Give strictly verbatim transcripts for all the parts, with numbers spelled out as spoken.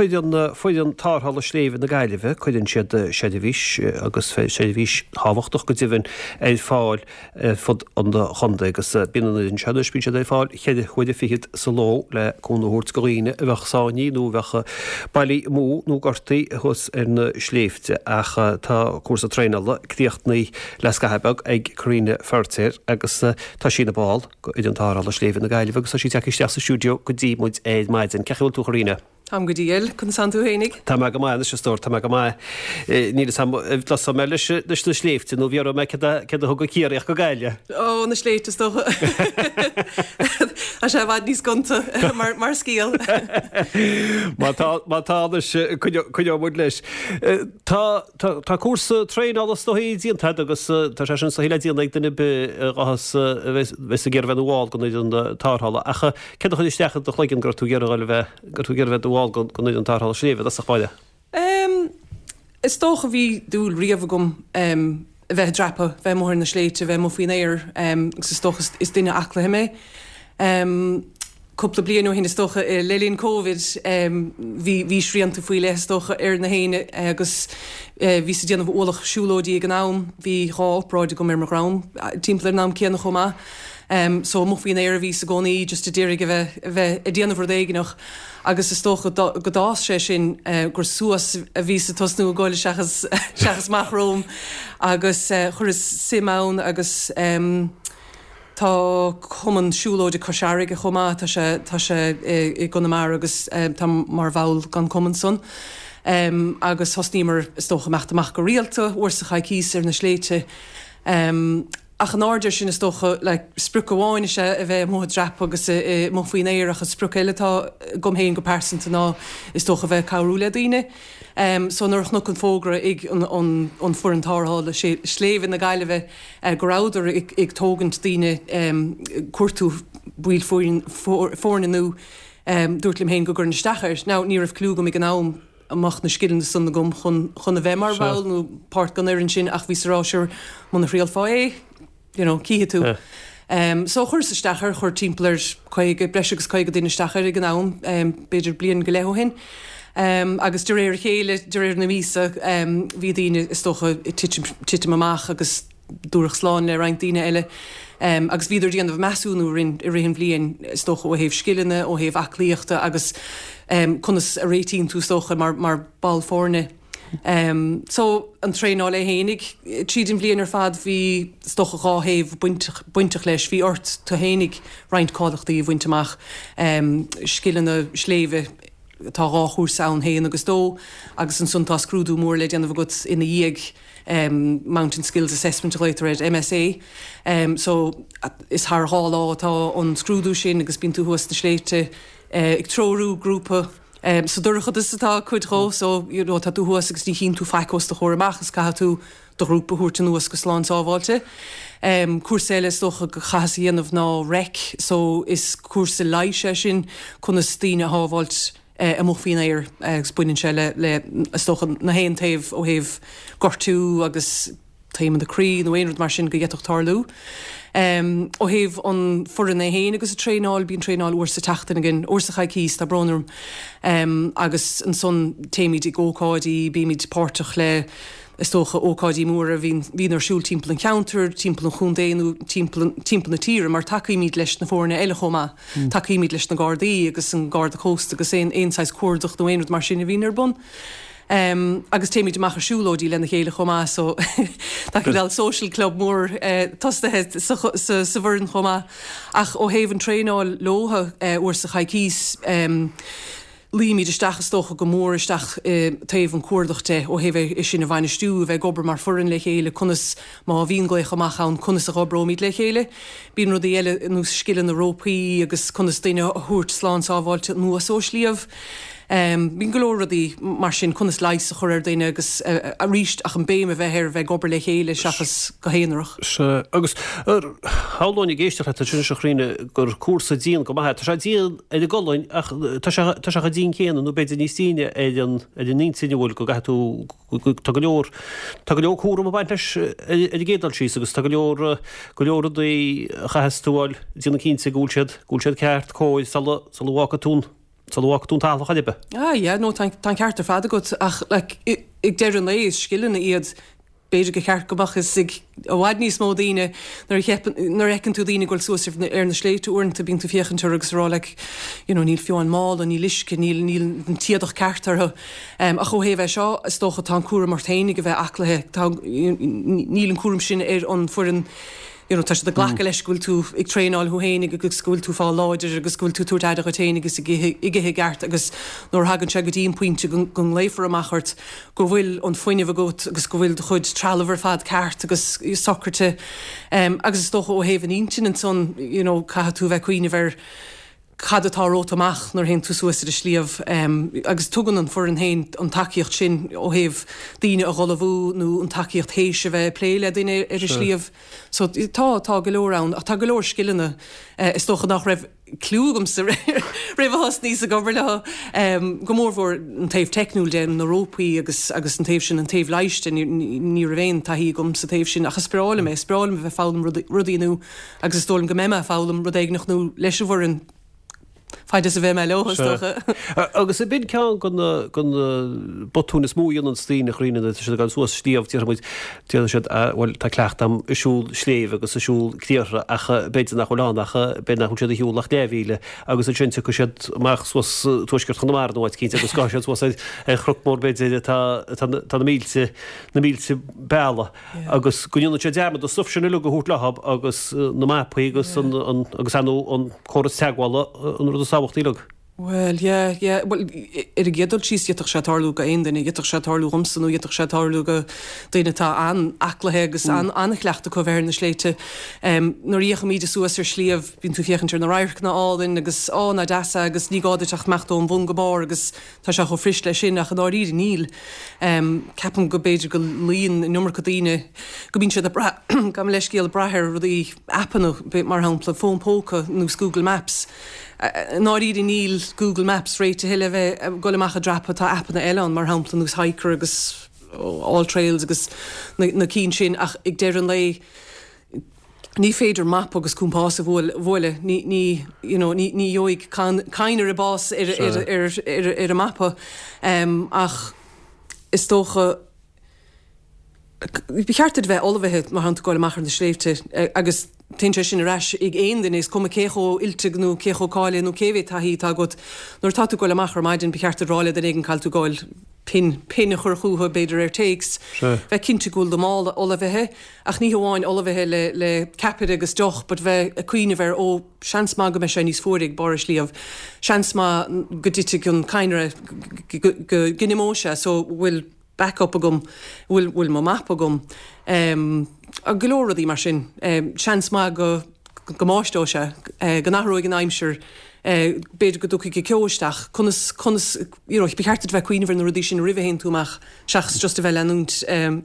Cuireann foireann tarrthála sléibhe na Gaillimhe, cuireann siad seirbhís, agus seirbhís thábhachtach go deimhin, ar fáil ar fud an chontae agus bíonn an fhoireann seo anois, bíonn siad ar fáil ceithre huaire fichead sa ló le cúnamh a thabhairt do dhaoine a bheadh sáinnithe nó a bheadh bailithe amú nó gortaithe thuas ar na sléibhte. Ach tá cúrsa traenála críochnaithe le scaitheamh beag ag Karina Feirtéar agus tá sí ina ball d'fhoireann tarrthála sléibhe na Gaillimhe agus tá sí tagtha isteach sa stiúideo go dtí muid ar maidin. Cén chaoi a bhfuil tú a Karina? Táim go diail, conas tánn tú fhéinig? Tá mé go maith anois a stór, tá mé go maith. Níl fhios a'm an dtosóidh mé leis leis na sléibhte nó bhéarfaidh mé céard a céard a thug an Ciarraíoch go Gaillimh. Ó, na sléibhte is dócha. Tá sé i bhfad níos gonta mar mar scéal. Má tá má tá anois coinneoidh muid leis. Tá tá tá cúrsa traenála is dóigh déanta agat agus tá sé sin is dóigh le déanamh ag duine ar bith a ghabhfas a bheas ag iarraidh bheith ina bhall den fhoireann tarrthála. Ach céard a chuir isteach i do chloigeann go raibh tú ag iarraidh a bheith Go raibh tú ag iarraidh bheith i do bhall den fhoireann tarrthála sléibhe i dtosach báire? Em, is dócha bhí dúil riamh agam em, a bheith ag dreapadh, bheith amuigh ar na sléibhte, bheith amuigh faoin aer em, agus is dócha is duine aclaithe mé. Em, cúpla bliain ó shin is dócha le linn Covid em, bhí bhí srianta faoi leith is dócha ar na héinne agus eh, bhíos ag déanamh ualach siúlóidí ag an am, bhí dhá obráid agam ar mo dhroim timpeall ar an am céanna chomh maith. Um, so amuigh faoin aer a bhíos i gcónaí just a d'iarraidh a bheith a bheith ag déanamh rud éigineach agus is dócha go d'fhás sé sin uh, gur suas a bhíos ag tosnú ag goil seachas seachas amach romham agus uh, chuireas suim ann agus um, tá cumann siúlóide Cois Fharraige chomh maith tá sé tá sé i gConamara agus um, tá mar bhall den chumann san. Um, agus thosnaíomar is dócha imeacht amach go rialta uair sa choicís ar na sléibhte. Um, Ach in airde sin is dócha like, sprioc amháin is ea a bheith amuigh ag dreapadh agus amuigh faoin aer ach an sprioc eile atá agam féin go pearsanta ná is dócha a bheith ag cabhrú le daoine. Um, so nuair a chonac an fógra ag an, an, an foireann tarrthála sléibhe na Gaillimhe uh, go rabhadar ag, ag tógaint daoine um, cuartú baill foirne nua um, dúirt liom féin go gcuirfinn isteach air. Now, ní raibh clue agam ag an am an mbeadh na scileanna san agam chun chun a bheith mar bhall nó páirt den fhoireann sin ach bhíos ag rá sure muna thriailfeá é you know, cífidh tú. Um, so chuireas isteach air chuir timpeall ar caoga breis agus caoga duine isteach air ag an am um, b'fhéidir bliain go leith ó shin. Um, agus de réir a chéile de réir na míosa um, bhí daoine is dócha ag titim, titim amach agus dúradh slán le roinnt daoine eile. Um, agus bhíodar ag déanamh measúnú orainn i rith an bhliain is dócha ó thaobh scileanna, ó thaobh aclaíochta agus um, conas a réitíonn tú is dócha mar, mar ball foirne. Um, so an traenáil é fhéinig tríd an bhliain ar fad bhí is dócha dhá thaobh bainteach, bainteach leis, bhí ort tú fhéinig roinnt cáilíochtaí a bhaint amach um, scileanna sléibhe tá dhá chúrsa ann haon agus dó agus ansan tá scrúdú mór le déanamh agat ina dhiaidh um, Mountain Skills Assessment a ghlaotar air MSA. Um, so is thar dhá lá atá an scrúdú sin agus bíonn tú thuas sna sléibhte uh, ag treorú grúpa Um, sa dorchadas atá cuid dhó so you know, tá tú thuas agus ní chíonn tú faic os do chomhair amach is caithfidh tú do ghrúpa a thabhairt anuas go slán sábháilte. Um, cúrsa eile is dócha go chaitheas a dhéanamh ná REC, so is cúrsa leighis é sin conas daoine a shábháilt eh, amuigh faoin aer agus baineann sé le, le is dócha na haon taobh ó thaobh gortú agus taomanna croí nó aon rud mar sin go bhféadfadh tarlú. Um, ó thaobh an foireann é féin agus a traenáil bíonn traenáil uair sa tseachtain againn uair sa choicís tá brón orm um, agus ansan téimid ag ócáidí bímid páirteach le is dócha ócáidí móra a bhíonn bhíonn ar siúl timpeall an cheantair, timpeall an chontae nó timpeall timpeall na tíre mar tacaímid leis na foirne eile chomh maith. Mm. Tacaímid leis na Gardaí agus an Garda Cósta agus aon aon saghas cuardach nó aon rud mar sin a bhíonn ar bun. Um, agus téimid amach ar siúlóidí lena chéile chomh maith so tá cineál social club mór uh, tosaithe sa, sa, sa bhfoireann chomh maith. Ach ó thaobh an traenáil leotha uh, uair sa choicís um, luímid isteach is dócha go mór isteach uh, taobh an cuardach de ó thaobh é sin a bhainistiú bheith ag obair mar foireann le chéile conas má bhíonn glaoch amach ann conas a oibreoimid le chéile. Bíonn rudaí eile ar nós scileanna rópaí agus conas duine a thabhairt slán sábháilte anuas ó shliabh. Um, bíonn go leor rudaí mar sin conas leigheas a chur ar duine agus uh, arís ach an béim a bheith ar bheith ag obair le chéile seachas go haonarach. Sea, agus shamhlóinn ag éisteacht leat ansin a Chaitríona gur cúrsa dian go maith é. Tá sé dian ar an gcolainn ach tá sé tá sé chomh dian céanna nó b'fhéidir níos déine ar an ar an intinn a bhfuil go gcaithfidh tú tá go leor tá go leor cúram ag baint leis ar ar an gcéad dul síos agus tá go leor go leor rudaí a chaithfeas tú a fháil déanamh cinnte go bhfuil siad go bhfuil siad ceart cóir sula sula bhfágfaidh tú an sula bhfágfaidh tú an talamh chor ar bith. Ah yeah, no tá an ceart ar fad agat ach like ag deireadh an lae is scileanna iad b'fhéidir gur cheart go mbeadh fhios ag i bhfad níos mó daoine nuair a cheapann nuair a fheiceann tú daoine ag dul suas ar na sléibhte uaireanta bíonn tú ag féachaint orthu agus ag rá like you know níl fiú an mála níl uisce níl níl an t-éadach ceart orthu. Um, ach ó thaobh é seo is dócha tá an cúram ort féinig a bheith aclaithe tá níl an cúram sin ar an foireann you know, tá siad ag glacadh leis go bhfuil tú ag traenáil thú féinig agus go bhfuil tú fá láidir agus go bhfuil tú tabhairt aire dhuit féin agus ag ithe ag ithe i gceart agus nuair a thagann sé go dtí an pointe go go nglaofar amach ort go bhfuil an fuinneamh agat agus go bhfuil do chuid trealamh ar fad ceart agus socraithe um, agus is dócha ó thaobh an intinn ansan you know, caithfidh tú bheith cuimhneamh ar cad atá romhat amach nuair théann tú suas ar an sliabh um, agus tugann an foireann féin an tacaíocht sin ó thaobh daoine a ullmhú nó an tacaíocht théis a bheith ag plé le duine ar an sliabh. So tá tá go leor ann ach tá go leor scileanna uh, is dócha nach raibh clue agamsa roimh a thosnaíos ag obair leo um, go mórmhór an taobh teicniúil de na rópaí agus agus an taobh sin an taobh leighis de ní ní raibh aon taithí agam sa taobh sin ach is breá liom é is breá liom a bheith foghlaim rudaí nua agus is dóigh liom go mbeidh mé ag foghlaim rud éigin nua leis an bhfoireann fad is a bheidh mé leo is dócha. Agus ab in ceann de na de na botúin is mó a dhéanann daoine a Chaitríona tá siad ag dul suas sliabh déarfaidh muid déarfaidh siad bhuel tá cleachtadh agam ag siúl sléibhe agus ag siúl criathra ach b'fhéidir nach bhfuil ann ach b'fhéidir nach bhfuil siad ag siúl ach leathmhíle agus ansin tiocfaidh siad amach suas tuaisceart Chonamara nó áit eicínt agus gabhfaidh siad suas ar ar chnoc mór b'fhéidir atá atá atá na mílte na mílte bealaigh agus go ndéanann siad dearmad an stuif sin uilig a thabhairt leo agus na mapaí agus an an agus ar ndóigh an córas teagmhála an rud is tábhachtaí uilig. Well, yeah, yeah. Well, ar an gcéad dul síos d'fhéadfadh sé tarlú go aon duine, d'fhéadfadh sé tarlú dhomsa nó d'fhéadfadh sé tarlú go duine atá an-aclaithe agus an an-chleachtadh acu bheith ar na sléibhte. Um, nuair a théimid suas ar sliabh bíonn tú féachaint ar na radharcanna álainn agus á ná deasa agus ní gá duit ach imeacht ón bhun go barr agus tá sé chomh fuirist leis sin ach i ndáiríre níl. Um, ceapaim go b'fhéidir go luíonn an iomarca daoine go mbíonn siad ag brath gabh mo leithscéal ag brath ar rudaí aipeanna mar shampla fón póca nó Google Maps. I ndáiríre níl Google Maps réitithe le bheith ag dul amach ag dreapadh tá aipeanna eile ann mar shampla nós Hiker agus All Trails agus na, na cinn sin ach ag deireadh an lae ní féidir map agus compás a bhualadh ní ní you know, ní ní gheobhaidh cadhnra bás ar ar ar ar ar an mapa um, ach is dócha Ba cheart duit bheith ullmhaithe má théann tú amach ar na sléibhte agus téann sé sin ar ais ag aon duine is cuma cé chomh oilte nó cé chomh cáilithe nó cé mhéad taithí atá agat nuair atá tú ag dul amach ar maidin ba cheart duit rá le duine éigin cá bhfuil tú ag dul pin pin a chur chucu b'fhéidir ar téacs bheith cinnte go bhfuil do mhála ullmhaithe ach ní hamháin ullmhaithe le le ceapaire agus deoch but bheith ag cuimhneamh ar ó seans maith go mbeidh sé níos fuaire ag barr an sliabh seans maith go dtitfidh an cadhnra go go go n-imeoidh sé so bhfuil backup agam bhfuil bhfuil mo map agam um, go leor rudaí mar sin um, seans maith go go mbáisteoidh sé uh, go n-athróidh an aimsir uh, b'fhéidir go dtiocfaidh ceo isteach conas conas you know, ba cheart duit bheith cuimhneamh ar na rudaí sin roimh a théann tú amach seachas just a bheith leanúint um,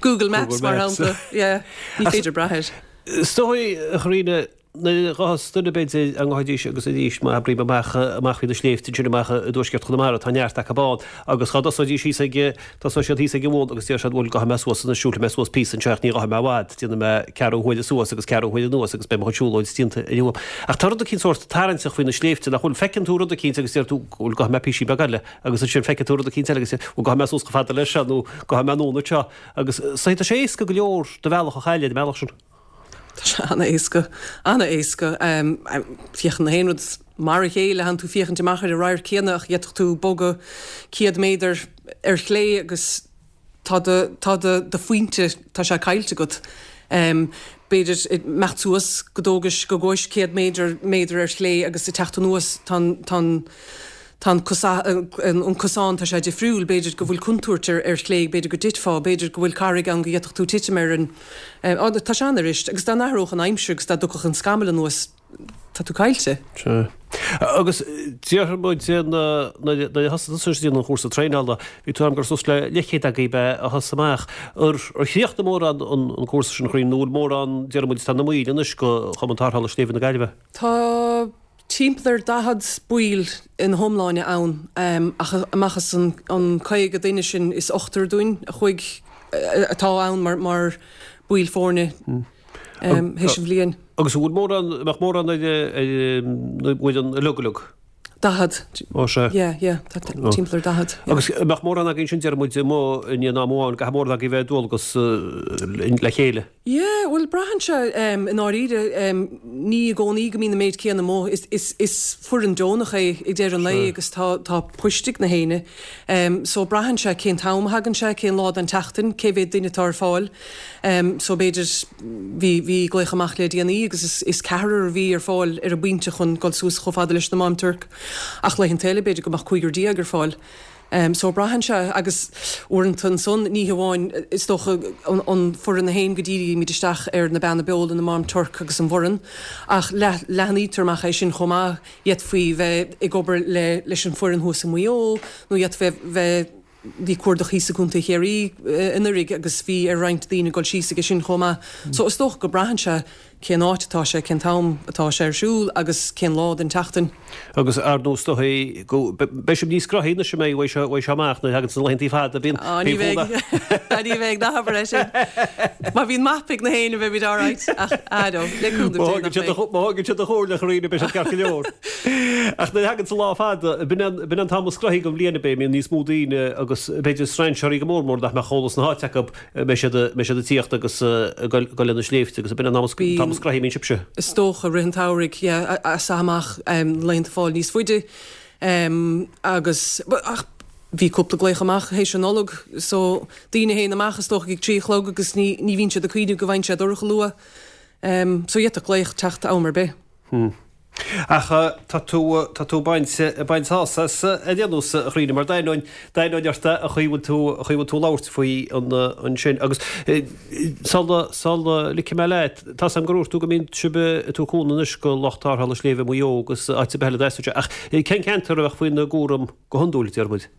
Google Maps mar shampla yeah, ní féidir brath air. Is dóigh a Chaitríona nuair a ghabhfas duine b'fhéidir an ngabhfaidís agus arís má abraím amach amach faoi na sléibhte ansin amach i dtuaisceart Chonamara tá neart acu ann agus dá dtosóidís thíos ag tosóidh siad thíos ag an bhun agus deir siad bhuel gabhfaidh mé suas anois siúlfaidh mé suas píosa anseo ach ní ghabhfaidh mé i bhfad déanfaidh mé ceathrú huaire suas agus ceathrú huaire anuas agus beidh mo chuid siúlóid déanta inniu. Ach tá rud eicínt sórt tarraingteach faoi na sléibhte nach bhfuil feiceann tú rud eicínt agus deir tú bhuel gabhfaidh mé píosa beag eile agus ansin feiceann tú rud eicínt eile agus bhuel gabhfaidh mé suas chomh fada leis seo nó gabhfaidh mé anonn anseo agus tá sé éasca go leor do bhealach a chailleadh ar an mbealach sin. Tá sé an-éasca an-éasca um, féachann na haon rud mar a chéile tánn tú féachaint amach ar an radharc céanna ach d'fhéadfadh tú bogadh céad méadar ar chlé agus tá do tá do do phointe tá sé caillte agat. Um, b'fhéidir imeacht suas go dtógais go gabhais céad méadar méadar ar chlé agus ag teacht anuas tá tá Tá an cosán tá sé difriúil, b'fhéidir go bhfuil contúirt ar ar chlé, b'fhéidir go dtitfeá, b'fhéidir go bhfuil carraig ann go bhféadfadh tú titim ar an tá sé an-fhuirist agus dá n-athródh an aimsir agus dá dtiocfadh an scamall anuas tá tú caillte. Sea. Agus déarfaidh muid nuair a thosaigh tusa ag déanamh an chúrsa traenála, bhí tú ag rá gur suas le leathchéad agaibh a thosaigh amach. Ar chríochnaigh mórán an cúrsa sin a Chaitríona nó bhfuil mórán déarfaidh muid atá ina mbaill anois de Chumann Tarrthála Sléibhe na Gaillimhe? Tá timpeall ar daichead baill ina hiomláine ann ach amach as an an caoga duine sin is ochtar dúinn a chuaigh atá ann mar mar baill foirne théis an bhliain. Agus an bhfuil mórán, mbeadh mórán ar ar an bhfoireann uilig uilig? Daichead. Ó sea. Yeah, yeah, tá timpeall ar daichead. Agus an mbeadh mórán agaibh ansin deir muid amuigh i ndiaidh an am amháin, caithfidh mórán agaibh a bheith ar dualgas le chéile. Yeah, bhuel braitheann sé i ndáiríre, ní i gcónaí go mbíonn an méid céanna amuigh, is, is, is foireann deonach é ag deireadh an lae agus tá, tá poist ag na héinne. So braitheann sé cén t-am a thagann sé, cén lá den tseachtain, cé mhéad duine atá ar fáil. So b'fhéidir, bhí, bhí glaoch amach le déanaí agus is, is ceathrar a bhí ar fáil ar an bpointe chun dul suas chomh fada leis na Mám Tuirc. Ach laethanta eile b'fhéidir go mbeadh cúigear déag ar fáil. So braitheann sé agus uaireanta ansan ní hamháin is dócha an, an foireann a théann go dírímid isteach ar na Beanna Beola, na Mám Tuirc agus an Bhoireann ach leath, leathnaítear amach é sin chomh maith, d'fhéadfaí bheith ag obair le, leis an foireann thuas i Maigh Eo nó d'fhéadfaí bheith, bhí cuardach thíos i gContae Chiarraí anuraidh agus bhí ar roinnt daoine dul síos aige sin chomh maith. So is dócha go braitheann sé cén áit atá sé, cén t-am atá sé ar siúl agus cén lá den tseachtain. Agus ar ndóigh is dóigh go beidh sibh níos gnoithí anois a mbeidh uaidh seo uaidh seo amach nuair a thagann na laethanta fada bíonn Á ní bheidh ní bheidh ná habair é sin. Má bhíonn mapa ag na héinne beimid alright ach ah no le cúnamh Má Dé thagann nach siad mbeidh. má thagann siad do chomhairle a Chairine beidh siad ceart go leor. Ach nuair a thagann an lá fada b'in an b'in an t-am is gnoithí den bhliain ab é mbíonn níos mó daoine agus b'fhéidir strainséirí go mór mór nach mbeadh eolas na háite acu mbeidh siad mbeidh siad ag tíocht agus ag goil goil ar na sléibhte agus b'in an am is Bíonn t-am is gnoithí a mbíonn sibhse. Is dócha rith an tsamhraidh, yeah, as amach laethanta fáil níos faide agus ach bhí cúpla glaoch amach théis an Nollag so daoine a théann amach is dócha ag trí a chlog agus ní ní bhíonn siad ag cuimhneamh go bhfaigheann sé dorcha luath. So d'fhéadfadh glaoch teacht am ar bith. Hmm. Ach tá tú tá tú ag baint ag baint sásamh as ar aon nós a Chairine mar d'aithneoinn d'aithneoinn ort an chaoi bhfuil tú an chaoi bhfuil tú ag labhairt faoi an ansin agus sula sula ligfidh mé leat tá 's agam gur dhúirt tú go mbíonn sibh ag tabhairt cúnamh anois go lucht tarrthála sléibhe Mhaigh Eo agus áit ar bith eile a dteastódh sé ach cén ceantar a bheadh faoina gcúram go hiondúil deir muid?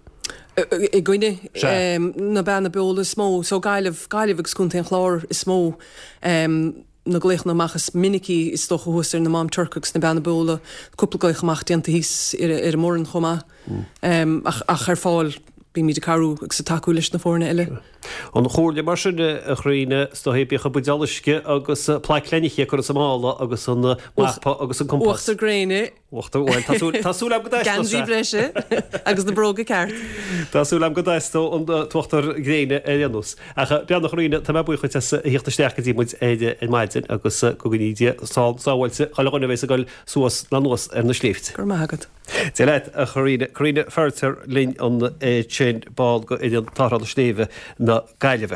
Againne Sea. na Beanna Beola is mó so Gaillimh Gaillimh agus Contae an Chláir is mó. na glaochanna amach is minicí is dócha thuas ar na Mám Tuirc agus na Beanna Beola, cúpla glaoch amach déanta thíos ar an mBoireann chomh maith. Ach ach ar fáil bímid ag cabhrú agus ag tacú leis na foirne eile. An chomhairle mar sin a Chairine, is dóigh bíodh an buidéal uisce agus plaic leiniche curtha sa mála agus an mapa agus an compás. Uachtar gréine. Uachtar, bhuel, tá súil, tá súil agam go dteastóidh sé. Geansaí breise agus na bróga ceart. Tá súil agam go dteastóidh an t-uachtar gréine ar aon nós. Ach beannacht a Chairine, tá mé buíoch dhuit as a thíocht isteach go dtí muid ar ar maidin agus go gcoinní Dia slán sábháilte chuile dhuine a bheas ag dul suas ná anuas ar na sléibhte. Go raibh maith agat. Dia leat a Chairine. Carine Feiritéar linn ansin, ball d'fhoireann tarrthála sléibhe na Gaillimhe.